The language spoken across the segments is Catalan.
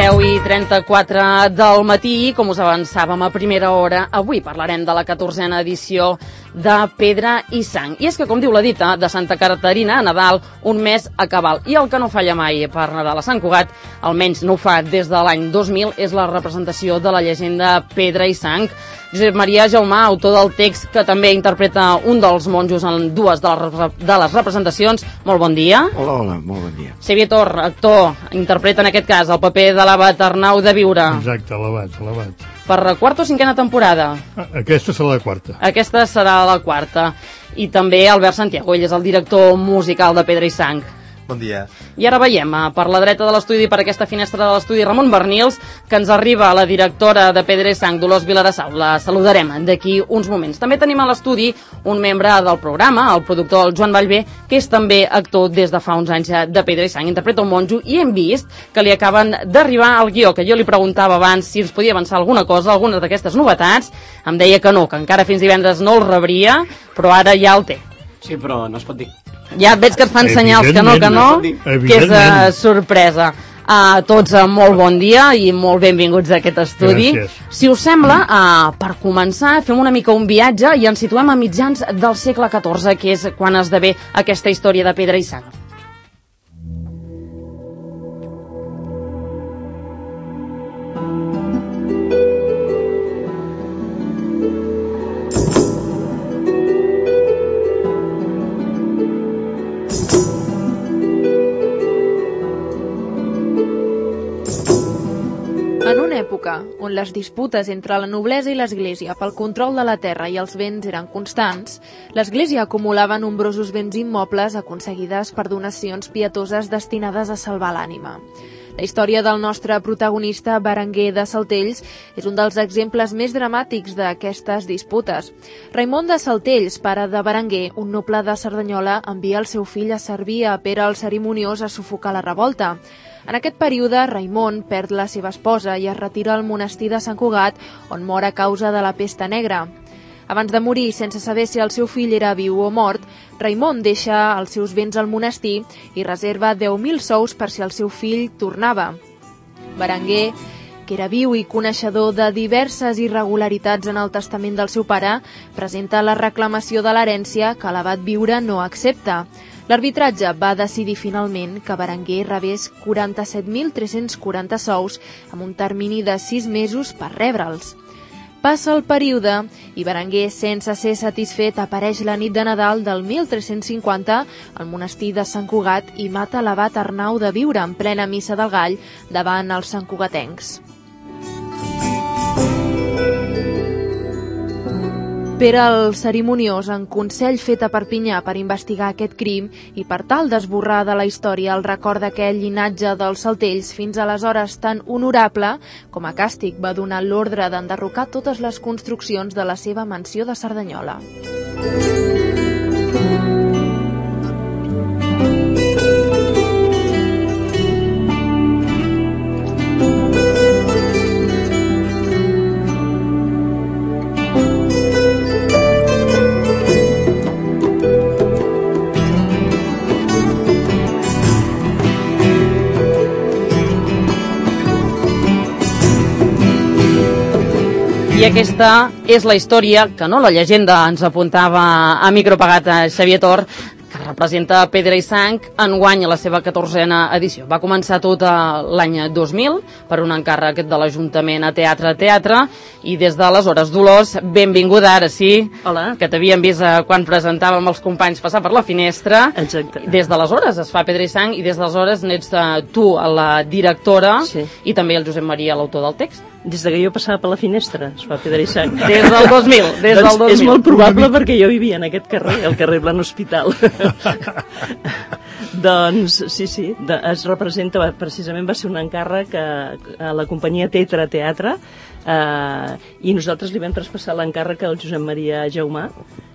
10:34 del matí, com us avançàvem a primera hora, avui parlarem de la 14a edició de Pedra i Sang. I és que, com diu la dita de Santa Caterina, a Nadal, un mes a cabal. I el que no falla mai per Nadal a Sant Cugat, almenys no ho fa des de l'any 2000, és la representació de la llegenda Pedra i Sang. Josep Maria Jaumà, autor del text, que també interpreta un dels monjos en dues de les representacions. Molt bon dia. Hola, molt bon dia. Xavier Tor, actor, interpreta en aquest cas el paper de l'abat Arnau de Viure. Exacte, l'abat. Per quarta o cinquena temporada? Aquesta serà la quarta. Aquesta serà la quarta. I també Albert Santiago, ell és el director musical de Pedra i Sang. Bon dia. I ara veiem per la dreta de l'estudi, per aquesta finestra de l'estudi, Ramon Bernils, que ens arriba la directora de Pedra i Sang, Dolors Vilarassau. La saludarem d'aquí uns moments. També tenim a l'estudi un membre del programa, el productor Joan Vallvé, que és també actor des de fa uns anys de Pedra i Sang. Interpreta un monjo i hem vist que li acaben d'arribar al guió, que jo li preguntava abans si ens podia avançar alguna cosa, algunes d'aquestes novetats. Em deia que no, que encara fins divendres no el rebria, però ara ja el té. Sí, però no es pot dir. Ja veig que et fan senyals que no, que és sorpresa. A tots molt bon dia i molt benvinguts a aquest estudi. Gràcies. Si us sembla, per començar, fem una mica un viatge i ens situem a mitjans del segle XIV, que és quan esdevé aquesta història de Pedra i Sang. On les disputes entre la noblesa i l'Església pel control de la terra i els béns eren constants, l'Església acumulava nombrosos béns immobles aconseguides per donacions pietoses destinades a salvar l'ànima. La història del nostre protagonista, Berenguer de Saltells, és un dels exemples més dramàtics d'aquestes disputes. Raimon de Saltells, pare de Berenguer, un noble de Cerdanyola, envia el seu fill a servir a Pere el Cerimoniós a sufocar la revolta. En aquest període, Raimon perd la seva esposa i es retira al monestir de Sant Cugat, on mor a causa de la pesta negra. Abans de morir, sense saber si el seu fill era viu o mort, Raimon deixa els seus béns al monestir i reserva 10.000 sous per si el seu fill tornava. Berenguer, que era viu i coneixedor de diverses irregularitats en el testament del seu pare, presenta la reclamació de l'herència que l'abat Viure no accepta. L'arbitratge va decidir finalment que Berenguer rebés 47.340 sous amb un termini de 6 mesos per rebre'ls. Passa el període i Berenguer, sense ser satisfet, apareix la nit de Nadal del 1350 al monestir de Sant Cugat i mata l'abat Arnau de Viure en plena missa del Gall davant els santcugatencs. Pere el Cerimoniós, en consell fet a Perpinyà per investigar aquest crim i per tal d'esborrar de la història el record d'aquell llinatge dels Saltells fins aleshores tan honorable, com a càstig va donar l'ordre d'enderrocar totes les construccions de la seva mansió de Cerdanyola. I aquesta és la història, que no la llegenda, ens apuntava a micropagat a Xavier Tor, que representa Pedra i Sang, enguany a la seva 14a edició. Va començar tot l'any 2000 per un encàrrec de l'Ajuntament a Teatre, i des d'aleshores, Dolors, benvinguda, ara sí. Hola. Que t'havíem vist quan presentàvem els companys passar per la finestra. Exacte. Des d'aleshores es fa Pedra i Sang i des d'aleshores n'ets tu la directora, sí. I també el Josep Maria, l'autor del text. Des que jo passava per la finestra es fa Pedra i Sang. Des del 2000, des del 2000. És molt probable perquè jo vivia en aquest carrer, el carrer Blan Hospital. Doncs sí, es representa, precisament va ser un encàrrec a la companyia Teatre, i nosaltres li vam traspassar l'encàrrec al Josep Maria Jaumà,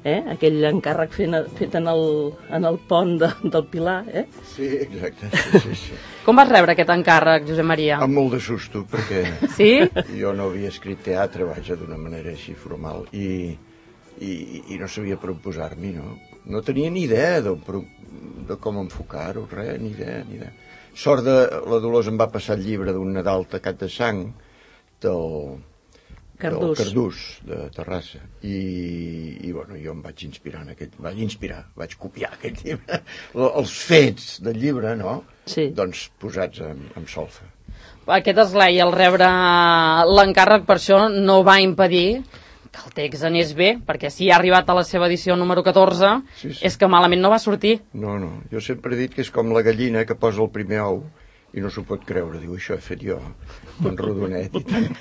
aquell encàrrec fet en el pont del Pilar. Sí, exacte. Sí. Com vas rebre aquest encàrrec, Josep Maria? Amb molt de susto, perquè sí? Jo no havia escrit teatre, d'una manera així formal, i no sabia per on posar-m'hi, no? no tenia ni idea de com enfocar-ho, res, ni idea. Sort de la Dolors em va passar el llibre d'un Nadal tacat de sang del Cardús de Terrassa i bueno, jo em vaig inspirar vaig copiar aquest llibre, els fets del llibre, no? Sí. Doncs posats en solfa. Aquest esglai, al rebre l'encàrrec, per això no va impedir que el text anés bé, perquè si ha arribat a la seva edició número 14, sí. És que malament no va sortir. No, jo sempre he dit que és com la gallina que posa el primer ou i no s'ho pot creure, diu, això he fet jo, tan rodonet i tant.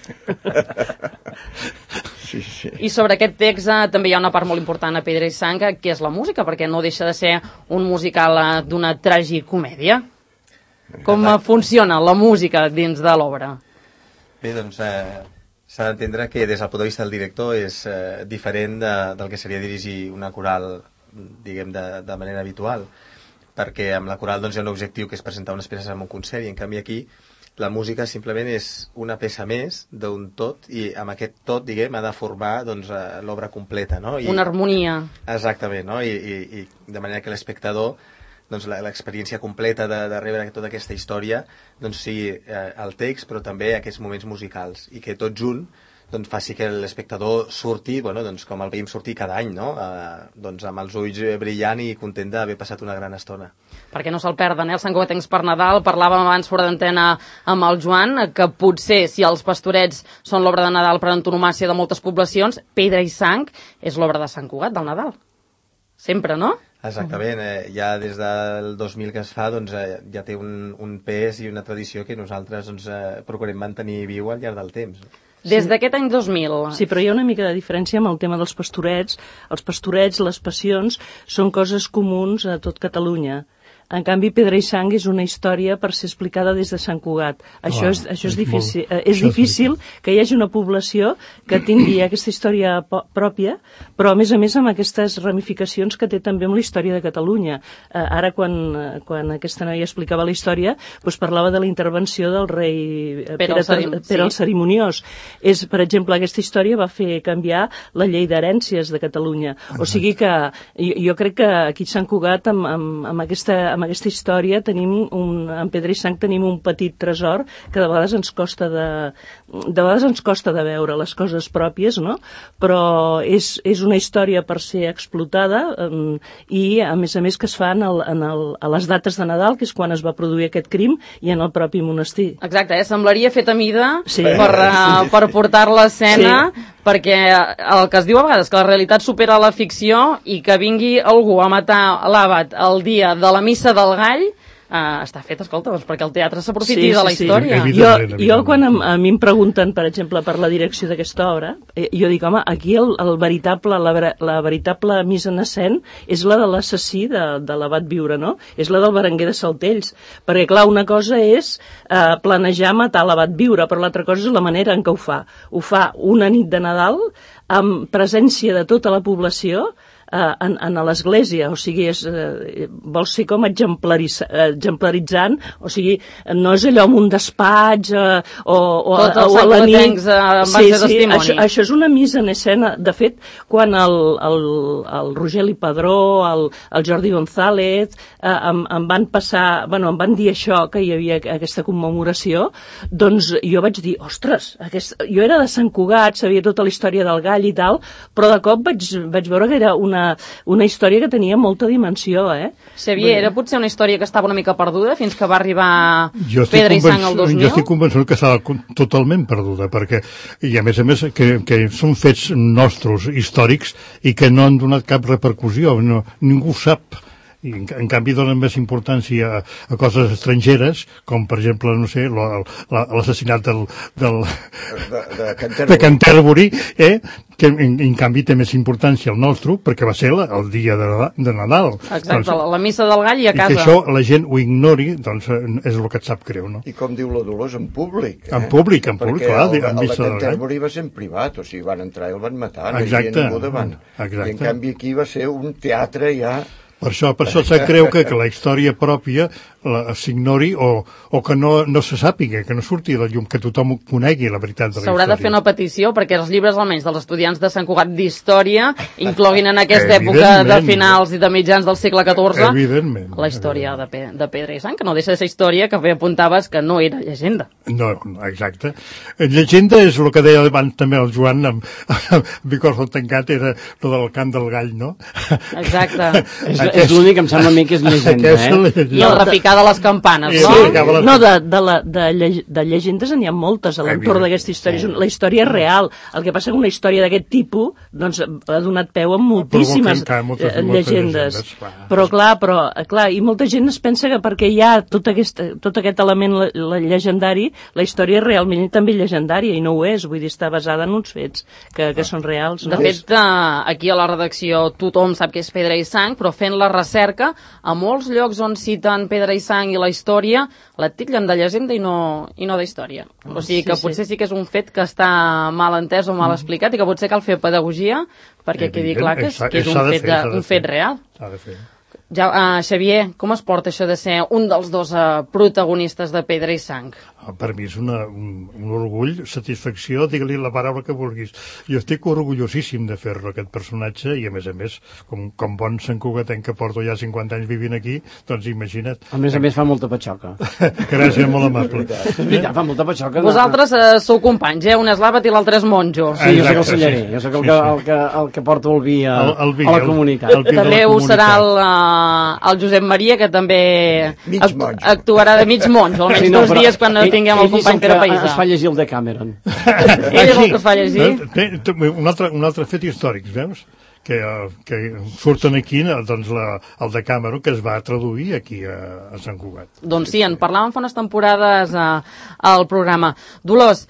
Sí. I sobre aquest text també hi ha una part molt important a Pedra i Sang, que és la música, perquè no deixa de ser un musical d'una tragicomèdia. Com funciona la música dins de l'obra? Bé, doncs s'ha d'entendre que des del punt de vista del director és diferent del que seria dirigir una coral, diguem, de manera habitual, perquè amb la coral doncs, hi ha un objectiu que és presentar unes peces en un concert, i en canvi aquí la música simplement és una peça més d'un tot, i amb aquest tot, diguem, ha de formar doncs, l'obra completa, no? Una harmonia. Exactament, no? I de manera que l'espectador, doncs, l'experiència completa de rebre tota aquesta història doncs, sigui el text, però també aquests moments musicals, i que tot junt doncs, faci que l'espectador surti, bueno, doncs, com el veiem sortir cada any, no? Doncs, amb els ulls brillant i content d'haver passat una gran estona. Perquè no se'l perden, Els Sant Cugatencs per Nadal. Parlàvem abans fora d'antena amb el Joan, que potser, si els Pastorets són l'obra de Nadal per antonomàsia de moltes poblacions, Pedra i Sang és l'obra de Sant Cugat, del Nadal. Sempre, no? Exactament, ja des del 2000 que es fa doncs, ja té un pes i una tradició que nosaltres doncs, procurem mantenir viu al llarg del temps. Des d'aquest any 2000. Sí, però hi ha una mica de diferència amb el tema dels pastorets. Els pastorets, les passions, són coses comuns a tot Catalunya. En canvi, Pedra i Sang és una història per ser explicada des de Sant Cugat. Això és difícil. És difícil que hi hagi una població que tingui aquesta història pròpia, però a més amb aquestes ramificacions que té també amb la història de Catalunya. Ara, quan aquesta noia explicava la història, doncs parlava de la intervenció del rei Pere el Cerimoniós. Per exemple, aquesta història va fer canviar la llei d'herències de Catalunya. O sigui que jo crec que aquí a Sant Cugat, amb aquesta història, en Pedra i Sang tenim un petit tresor que de vegades ens costa de veure les coses pròpies, no? Però és una història per ser explotada i, a més que es fa a les dates de Nadal, que és quan es va produir aquest crim, i en el propi monestir. Exacte, semblaria fet a mida per portar-la a escena, perquè el que es diu a vegades, que la realitat supera la ficció, i que vingui algú a matar l'àbat el dia de la missa del gall, està fet, escolta, doncs perquè el teatre s'aprofiti de la història. Jo, quan a mi em pregunten, per exemple, per la direcció d'aquesta obra, jo dic, home, aquí la veritable mise en escena és la de l'assassí de l'Abat Viure, no? És la del Berenguer de Saltells, perquè, clar, una cosa és planejar matar l'Abat Viure, però l'altra cosa és la manera en què ho fa. Ho fa una nit de Nadal, amb presència de tota la població, a l'església, o sigui, vol ser com exemplaritzant, o sigui, no és allò amb un despatx o a la nit. Això és una mise en escena. De fet, quan el Rogeli Padró, el Jordi González em van dir això, que hi havia aquesta commemoració, doncs jo vaig dir, ostres, jo era de Sant Cugat, sabia tota la història del gall i tal, però de cop vaig veure que era una història que tenia molta dimensió, Xavier, era potser una història que estava una mica perduda fins que va arribar Pedra i Sang el 2000? Jo estic convençut que estava totalment perduda, perquè, i a més, que són fets nostres, històrics, i que no han donat cap repercussió, ningú sap. I en canvi donen més importància a coses estrangeres, com per exemple, no sé, l'assassinat de Canterbury, que en canvi té més importància el nostre, perquè va ser el dia de Nadal. Exacte, la missa del gall i a casa. I que això la gent ho ignori, doncs és el que et sap greu, no? I com diu la Dolors, en públic. En públic, clar, en missa del gall. El de Canterbury va ser en privat, o sigui, van entrar i el van matar, no hi havia ningú davant. I en canvi aquí va ser un teatre ja... Per això et sap greu que la història pròpia s'ignori o que no se sàpiga, que no surti de la llum, que tothom conegui la veritat de la història. S'haurà de fer una petició perquè els llibres, almenys dels estudiants de Sant Cugat d'història, incloguin en aquesta època de finals i de mitjans del segle XIV la història de Pedra i Sang, que no deixa de ser història, que apuntaves que no era llegenda. No, exacte. Llegenda és el que deia abans també el Joan amb Bicorzo tancat, era lo del cant del gall, no? Exacte. És l'únic que em sembla a mi que és llegenda, I el repicar de les campanes, no? No, de llegendes n'hi ha moltes a l'entorn d'aquesta història. La història és real. El que passa que una història d'aquest tipus doncs, ha donat peu a moltíssimes llegendes. Però clar, i molta gent es pensa que perquè hi ha tot aquest element llegendari, la història és realment també llegendària, i no ho és. Vull dir, està basada en uns fets que són reals. De fet, aquí a la redacció tothom sap que és Pedra i Sang, però fent la recerca, a molts llocs on citen Pedra i Sang i la història, la titllen de llegenda i no d'història. O sigui que potser sí que és un fet que està mal entès o mal explicat i que potser cal fer pedagogia perquè quedi clar que és un fet real. S'ha de fer. Xavier, com es porta això de ser un dels dos protagonistes de Pedra i Sang? Per mi és un orgull, satisfacció, digue-li la paraula que vulguis. Jo estic orgullosíssim de fer-lo, aquest personatge, i a més, com bon santcugatenc que porto ja 50 anys vivint aquí, doncs imagina't. A més fa molta patxoca. Gràcies, molt amable. És veritat, fa molta patxoca. Vosaltres sou companys, un és l'àbat i l'altre és monjo. Sí, jo soc el cellarer, jo soc el que porto el vi a la comunitat. També ho serà el Josep Maria, que també actuarà de mig monjo, almenys 2 dies quan tinguem el company Pere Païsà. Es fa llegir el de Cameron. Ell és el que fa llegir. Un altre fet històric, veus? Que surten aquí, doncs, el de Cameron, que es va traduir aquí a Sant Cugat. Doncs sí, en parlàvem fa unes temporades al programa. Dolors,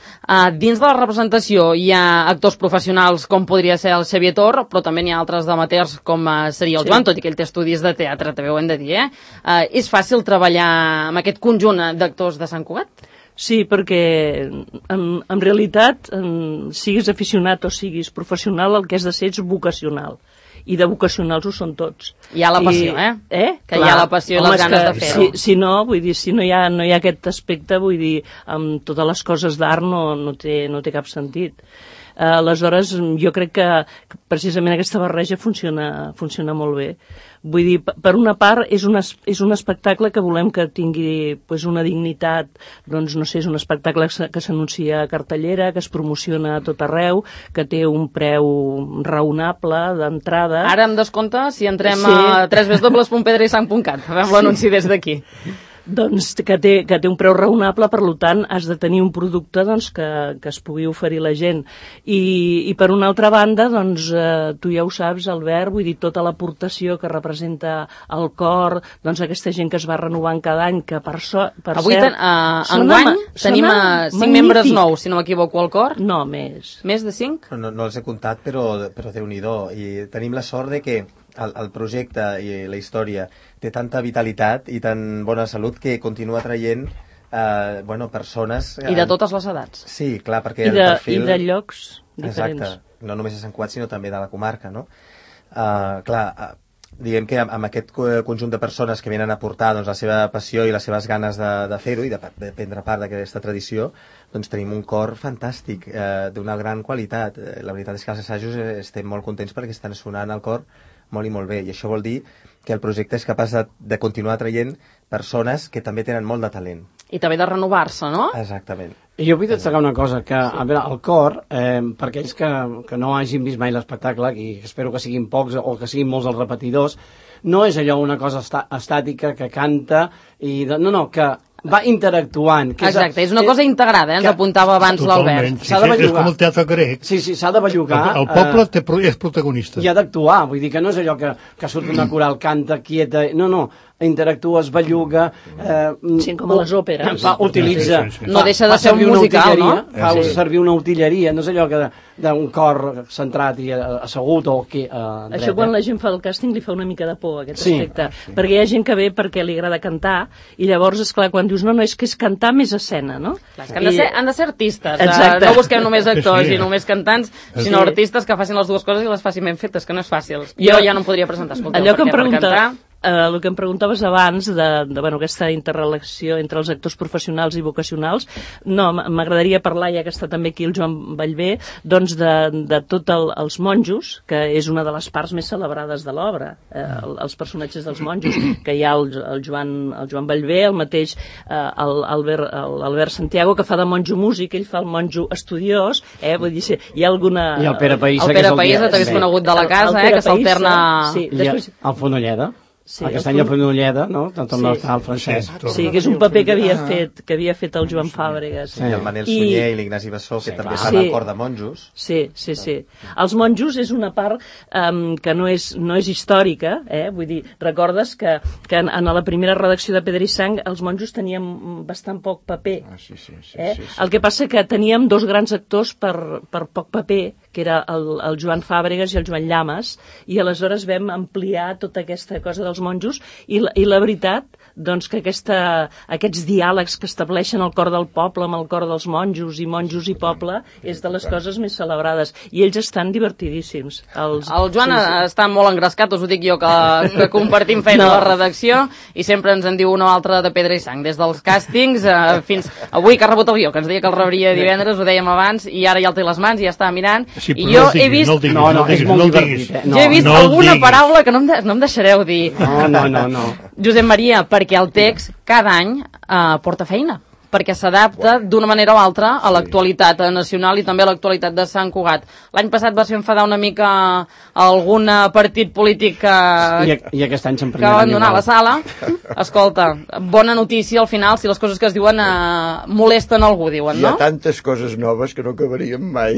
dins de la representació hi ha actors professionals com podria ser el Xavier Tor, però també n'hi ha altres d'amateurs com seria el Joan, tot i que ell té estudis de teatre, també ho hem de dir, És fàcil treballar amb aquest conjunt d'actors de Sant Cugat? Sí, perquè en realitat, siguis aficionat o siguis professional, el que has de ser és vocacional. I de vocacionals ho són tots. Hi ha la passió, Que hi ha la passió i les ganes de fer-ho. Si no hi ha aquest aspecte, vull dir, amb totes les coses d'art no té cap sentit. Aleshores, jo crec que precisament aquesta barreja funciona molt bé. Vull dir, per una part, és un espectacle que volem que tingui una dignitat, doncs, no sé, és un espectacle que s'anuncia a cartellera, que es promociona a tot arreu, que té un preu raonable d'entrada. Ara em descompte si entrem a www.pedreisang.cat. Fem l'anunci des d'aquí. Doncs que té un preu raonable, per tant has de tenir un producte doncs, que es pugui oferir la gent. I per una altra banda, doncs, tu ja ho saps, Albert, vull dir, tota l'aportació que representa el cor, doncs aquesta gent que es va renovant cada any, que avui enguany tenim 5 membres nous, si no m'equivoco, al cor? No, més. Més de 5? No els he comptat, però Déu-n'hi-do. I tenim la sort de que el projecte i la història té tanta vitalitat i tan bona salut que continua traient persones... I de totes les edats. Sí, clar, perquè el perfil... I de llocs diferents. Exacte, no només de Sant Cugat, sinó també de la comarca, no? Diguem que amb aquest conjunt de persones que venen a portar doncs, la seva passió i les seves ganes de fer-ho i de prendre part d'aquesta tradició, doncs tenim un cor fantàstic, d'una gran qualitat. La veritat és que als assajos estem molt contents perquè estan sonant al cor molt i molt bé, i això vol dir que el projecte és capaç de continuar traient persones que també tenen molt de talent. I també de renovar-se, no? Exactament. I jo vull destacar una cosa, que a veure, el cor, per aquells que no hagin vist mai l'espectacle, i espero que siguin pocs o que siguin molts els repetidors, no és allò una cosa estàtica que canta, que va interactuant. Exacte, és una cosa integrada, ens apuntava abans l'Albert. S'ha de bellugar. És com el teatre grec. Sí, s'ha de bellugar. El poble és protagonista. I ha d'actuar, vull dir que no és allò que surt una coral, canta, quieta... No, interactues, belluga... Sí, com a les òperes. Utilitza... No deixa de ser un musical, no? Fa servir una utilleria, no és allò d'un cor centrat i assegut o que... Això quan la gent fa el càsting li fa una mica de por, aquest aspecte. Perquè hi ha gent que ve perquè li agrada cantar i llavors, esclar, quan dius no, és que és cantar més escena, no? Han de ser artistes. Exacte. No busquem només actors i només cantants, sinó artistes que facin les dues coses i les facin ben fetes, que no és fàcil. Jo ja no em podria presentar. Escolteu, allò que em pregunta... el que em preguntaves abans de aquesta interrelació entre els actors professionals i vocacionals, no, m'agradaria parlar, ja que està també aquí el Joan Ballbé, doncs de tots els monjos, que és una de les parts més celebrades de l'obra, els personatges dels monjos, que hi ha el Joan Ballbé, el mateix l'Albert Santiago, que fa de monjo músic, ell fa el monjo estudiós, vull dir, hi ha alguna... I el Pere Païssa, el Pere Païssa també és conegut de la casa, que s'alterna... Sí, després... El Fonolleda. Sí, el Castany de Fonolleda, no? Tant el nostre el francès. Sí, que és un paper que havia fet el Joan Fàbregas. I el Manel Sunyer i l'Ignasi Bessó, que també fan el cor de monjos. Sí. Els monjos és una part que no és històrica, vull dir, recordes que en la primera redacció de Pedra i Sang els monjos teníem bastant poc paper. Sí. El que passa que teníem dos grans actors per poc paper, que era el Joan Fàbregas i el Joan Llamas, i aleshores vam ampliar tota aquesta cosa dels monjos, i la veritat, doncs, que aquests diàlegs que estableixen el cor del poble amb el cor dels monjos i poble és de les coses més celebrades, i ells estan divertidíssims. El Joan està molt engrescat, us ho dic jo, que compartim feina a la redacció, i sempre ens en diu una o altra de Pedra i Sang, des dels càstings fins avui, que ha rebut el guió, que ens deia que el rebria divendres, ho dèiem abans, i ara ja el té a les mans i ja està mirant. Sí, i jo he vist... No el diguis. Jo he vist alguna paraula que no em deixareu dir. No. Josep Maria, perquè el text cada any porta feina, perquè s'adapta d'una manera o altra a l'actualitat nacional i també a l'actualitat de Sant Cugat. L'any passat va ser enfadar una mica algun partit polític I aquest any que va abandonar la sala. Escolta, bona notícia al final, si les coses que es diuen molesten algú, diuen, no? Hi ha tantes coses noves que no acabaríem mai.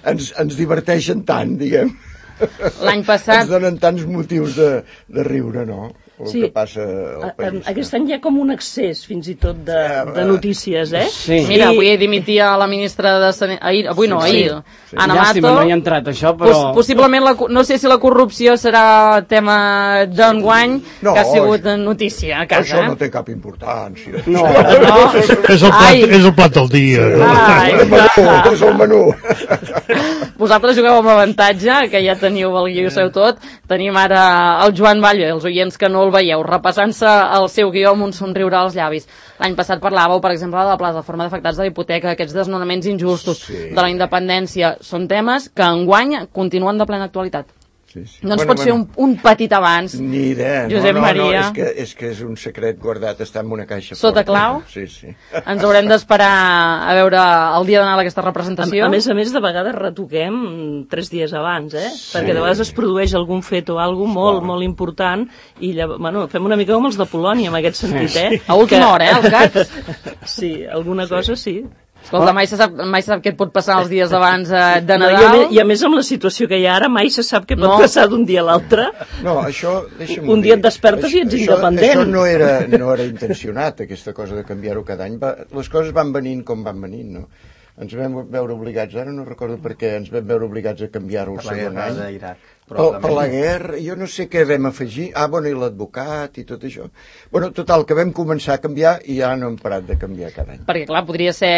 ens diverteixen tant, diguem. L'any passat... Ens donen tants motius de riure, no? El que passa al país. Aquest any hi ha com un excés, fins i tot, de notícies, Sí. Mira, avui dimitia la ministra de Salut... Ahir, Ana Mato. Llàstima, no hi ha entrat, això, però... Possiblement, no sé si la corrupció serà tema d'enguany, que ha sigut notícia a casa. Això no té cap importància. No. És el plat del dia. És el menú. Vosaltres jugueu amb avantatge, que ja teniu el guió seu tot. Tenim ara el Joan Ballbé, els oients que no el veieu, repassant-se el seu guió amb un somriure als llavis. L'any passat parlàveu, per exemple, de la plataforma d'afectats de l'hipoteca, aquests desnonaments injustos, de la independència. Són temes que enguany continuen de plena actualitat. No ens pots fer un petit abans, ni idea. Josep Maria? És que és un secret guardat, està en una caixa sota clau? Sí. Ens haurem d'esperar a veure el dia d'anar a aquesta representació. A més, de vegades retoquem 3 dies abans, perquè de vegades es produeix algun fet o alguna cosa molt important, i fem una mica com els de Polònia, en aquest sentit, A última hora, al cap? Sí, alguna cosa sí. Escolta, mai se sap què et pot passar els dies abans de Nadal. I a més, amb la situació que hi ha ara, mai se sap què pot passar d'un dia a l'altre. No, això, deixa'm un dia et despertes i ets independent. Això no era intencionat, aquesta cosa de canviar-ho cada any. Les coses van venint com van venint, no? Ens vam veure obligats, ara no recordo per què, ens vam veure obligats a canviar-ho el segon any. Per la guerra, jo no sé què vam afegir. I l'advocat i tot això. Total, que vam començar a canviar i ja no hem parat de canviar cada any. Perquè, clar, podria ser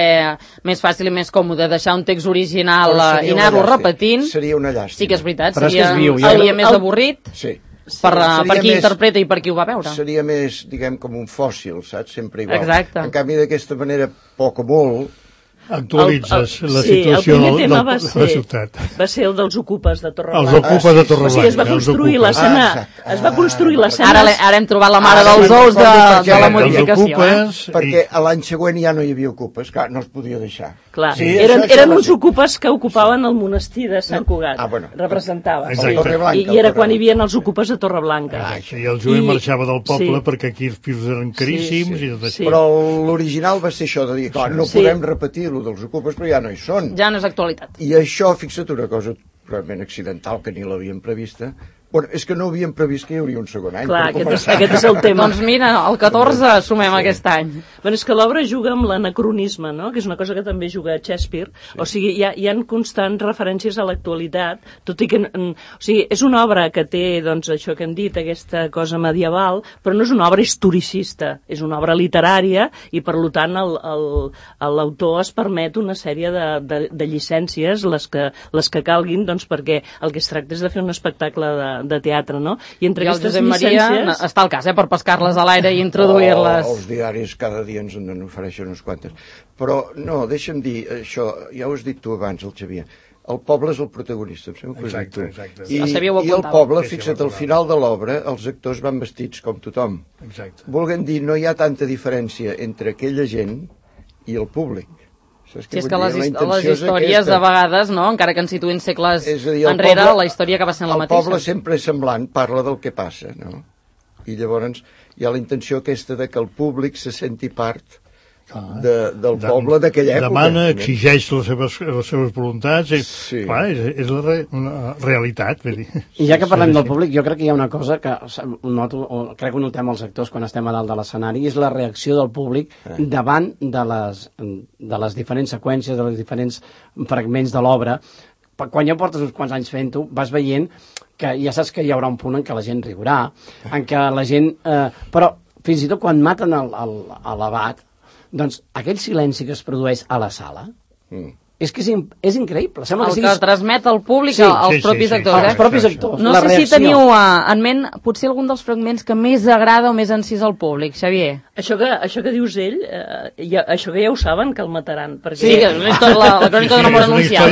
més fàcil i més còmode deixar un text original i anar-lo repetint. Seria una llàstima. Sí que és veritat, seria el dia més avorrit. Sí. Per qui interpreta i per qui ho va veure. Seria més, diguem, com un fòssil, saps? Sempre igual. Exacte. En canvi, d'aquesta manera, poc o molt, actualitzes la situació de la ciutat. Va ser el dels ocupes de Torreblanca. Els ocupes de Torreblanca. O sigui, es va construir l'escena. Es va construir l'escena. Ara hem trobat la mare dels ous de la modificació. Perquè l'any següent ja no hi havia ocupes, clar, no es podia deixar. Clar, eren uns ocupes que ocupaven el monestir de Sant Cugat. Representava. I era quan hi havia els ocupes de Torreblanca. I el jove marxava del poble perquè aquí els pisos eren caríssims. Però l'original va ser això de dir, clar, no podem repetir dels ocupes, però ja no hi són. Ja no és actualitat. I això, fixa't una cosa realment accidental, que ni l'havíem prevista. És que no havíem previst que hi hauria un segon any. Clar, aquest és el tema. Doncs mira, el 14 sumem aquest any. És que l'obra juga amb l'anacronisme, no? Que és una cosa que també juga Shakespeare. O sigui, hi ha constants referències a l'actualitat, tot i que... O sigui, és una obra que té, doncs, això que hem dit, aquesta cosa medieval, però no és una obra historicista, és una obra literària i, per tant, l'autor es permet una sèrie de llicències, les que calguin, doncs, perquè el que es tracta és de fer un espectacle de teatre, no? I entre el aquestes Josep Maria llicències... està al cas, per pescar-les a l'aire i introduir-les. Els diaris cada dia ens en ofereixen unes quantes. Però, no, deixa'm dir, això, ja ho has dit tu abans, el Xavier, el poble és el protagonista, em sembla que ho has dit tu. Exacte. I el poble, fixa't, al final de l'obra, els actors van vestits com tothom. Exacte. Volguem dir, no hi ha tanta diferència entre aquella gent i el públic. Sí, és que les històries, de vegades, no? Encara que ens situïn segles enrere, la història acaba sent la mateixa. El poble sempre és semblant, parla del que passa, no? I llavors hi ha la intenció aquesta de que el públic se senti part del poble d'aquella època. Demana, exigeix les seves voluntats, clar, és la realitat. Vull dir. I ja que parlem del públic, jo crec que hi ha una cosa que crec que notem els actors quan estem a dalt de l'escenari, és la reacció del públic davant de les diferents seqüències, de les diferents fragments de l'obra. Quan ja portes uns quants anys fent-ho, vas veient que ja saps que hi haurà un punt en què la gent riurà, en què la gent... Però fins i tot quan maten l'abat, doncs aquell silenci que es produeix a la sala és que és increïble. El que transmet el públic als propis actors. Els propis actors. No sé si teniu en ment potser algun dels fragments que més agrada o més encís al públic, Xavier. Això que dius ell, això que ja ho saben, que el mataran. Sí, la crònica d'una mort anunciada.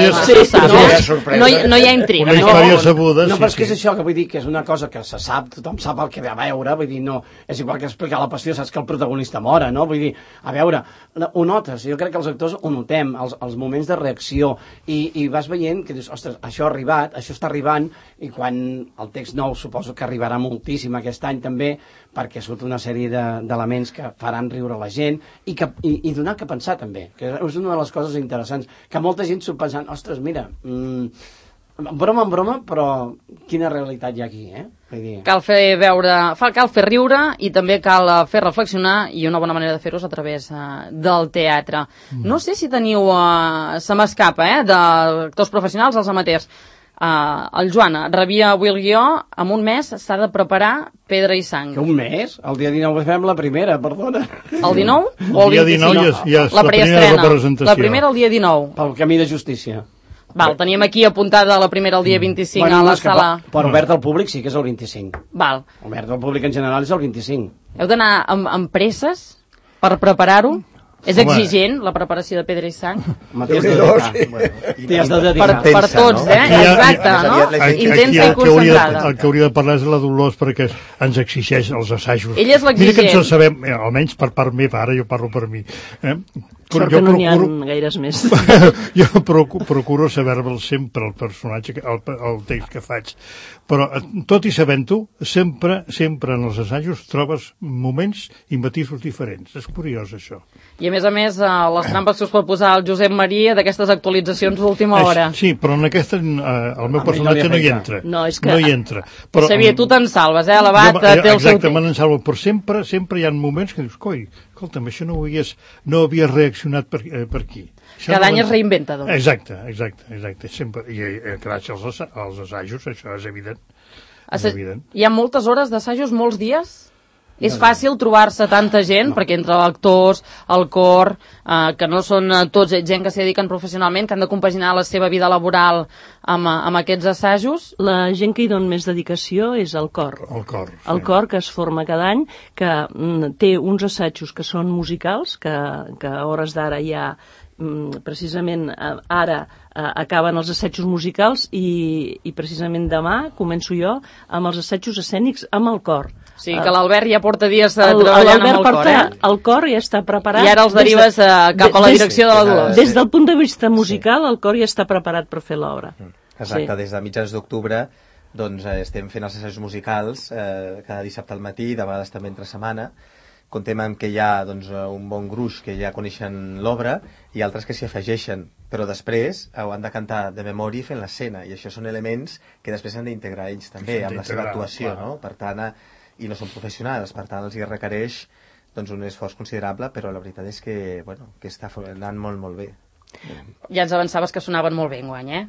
No hi ha intriga. Una història sabuda. No, però és que és això, que vull dir que és una cosa que se sap, tothom sap el que ve a veure, vull dir, no, és igual que explicar la passió, saps que el protagonista mora, no? Vull dir, a veure, ho notes, jo crec que els actors ho notem, els moments de reacció, i vas veient que dius, ostres, això ha arribat, això està arribant, i quan el text nou suposo que arribarà moltíssim aquest any també, perquè surt una sèrie d'elements que faran riure la gent i donar que pensar també, que és una de les coses interessants, que molta gent s'ho pensant, ostres, mira, broma en broma, però quina realitat hi ha aquí, Cal fer riure i també cal fer reflexionar, i una bona manera de fer-ho és a través del teatre. No sé si teniu, se m'escapa, d'actors professionals, els amateurs. El Joan rebia avui el guió, en un mes s'ha de preparar Pedra i Sang. Que un mes? El dia 19 fem la primera, perdona. El 19 o el 25? El dia 19 ja és la primera representació. La primera el dia 19. Pel camí de justícia. Val, teníem aquí apuntada la primera el dia 25 a la sala. Per obert al públic sí que és el 25. Val. Obert al públic en general és el 25. Heu d'anar amb presses per preparar-ho? És exigent, la preparació de Pedra i Sang? T'hi has de dedicar. Per tots, exacte, no? Intensa i concentrada. El que hauria de parlar és la Dolors, perquè ens exigeix els assajos. Ella és l'exigent. Mira que ens el sabem, almenys per part meva, ara jo parlo per mi. Sort que no n'hi ha gaires més. Jo procuro saber-me'l sempre, el personatge, el text que faig. Però, tot i sabent-ho, sempre en els assajos trobes moments i matisos diferents. És curiós, això. I a més, les trampes que us pot posar el Josep Maria d'aquestes actualitzacions d'última hora. Sí, però en aquesta el meu personatge no hi entra. No hi entra. Però, Xavier, tu te'n salves, l'abat té el seu... Exacte, me'n salvo, però sempre hi ha moments que dius, coi, escolta'm, això no havia reaccionat per aquí. Cada any es reinventa, doncs. Exacte. Sempre, i gràcies als assajos, això és evident. Hi ha moltes hores d'assajos, molts dies? És fàcil trobar-se tanta gent, perquè entre actors, el cor, que no són tots gent que s'hi dediquen professionalment, que han de compaginar la seva vida laboral amb aquests assajos? La gent que hi dona més dedicació és el cor. El cor, que es forma cada any, que té uns assajos que són musicals, que a hores d'ara ja precisament ara acaben els assajos musicals i precisament demà començo jo amb els assajos escènics amb el cor. Sí, que l'Albert ja porta dies treballant amb el cor, el cor ja està preparat. I ara els derives cap a la direcció de la Dolors. Des del punt de vista musical, el cor ja està preparat per fer l'obra. Exacte, des de mitjans d'octubre doncs estem fent els assajos musicals cada dissabte al matí, de vegades també entre setmana. Contem amb que hi ha un bon gruix que ja coneixen l'obra i altres que s'hi afegeixen, però després ho han de cantar de memòria fent l'escena, i això són elements que després han d'integrar ells també amb la seva actuació, no? Per tant, i no són professionals, per tant els hi requereix un esforç considerable, però la veritat és que està anant molt, molt bé. Ja ens avançaves que sonaven molt bé enguany,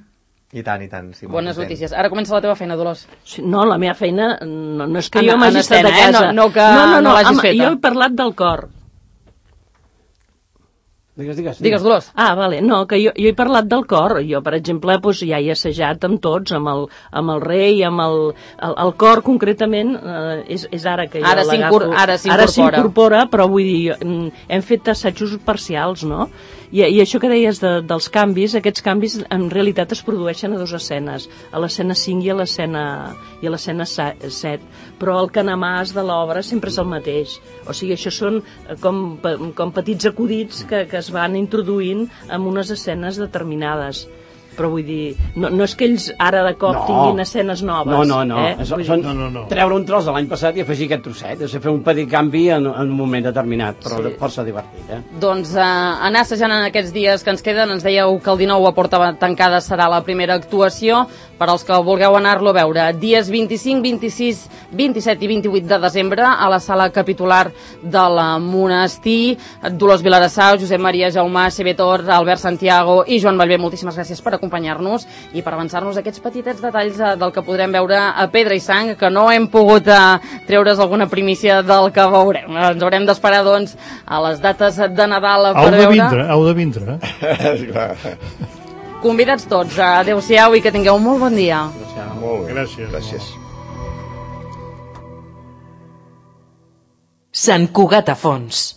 I tant. Sí, bones notícies. Ara comença la teva feina, Dolors. No, la meva feina no és que jo m'hagi estat a casa. No l'hagis feta. Jo he parlat del cor. Digues, Dolors. Vale. No, que jo he parlat del cor. Jo, per exemple, ja he assajat amb tots, amb el rei, amb el cor, concretament, és ara que jo l'agafo. Ara s'incorpora, però vull dir, hem fet assajos parcials, no? I això que deies dels canvis, aquests canvis en realitat es produeixen a 2 escenes, a l'escena 5 i a l'escena 7, però el canamàs de l'obra sempre és el mateix. O sigui, això són com petits acudits que es van introduint en unes escenes determinades. Però vull dir, no és que ells ara de cop tinguin escenes noves. No. Treure un tros de l'any passat i afegir aquest trosset. És fer un petit canvi en un moment determinat, però força divertit. Doncs anar assajant en aquests dies que ens queden. Ens dèieu que el 19 a Porta Tancada serà la primera actuació. Per als que vulgueu anar-lo a veure, dies 25, 26, 27 i 28 de desembre a la sala capitular del monestir. Dolors Vilarassau, Josep Maria Jaumà, Xavier Tor, Albert Santiago i Joan Ballbé, moltíssimes gràcies per acompanyar-nos i per avançar-nos aquests petitets detalls del que podrem veure a Pedra i Sang, que no hem pogut treure's alguna primícia del que veurem. Ens haurem d'esperar, doncs, a les dates de Nadal per veure. Heu de vindre. Convidats tots. Adéu-siau i que tingueu un molt bon dia. Molt bé. Gràcies. Sant Cugat a fons.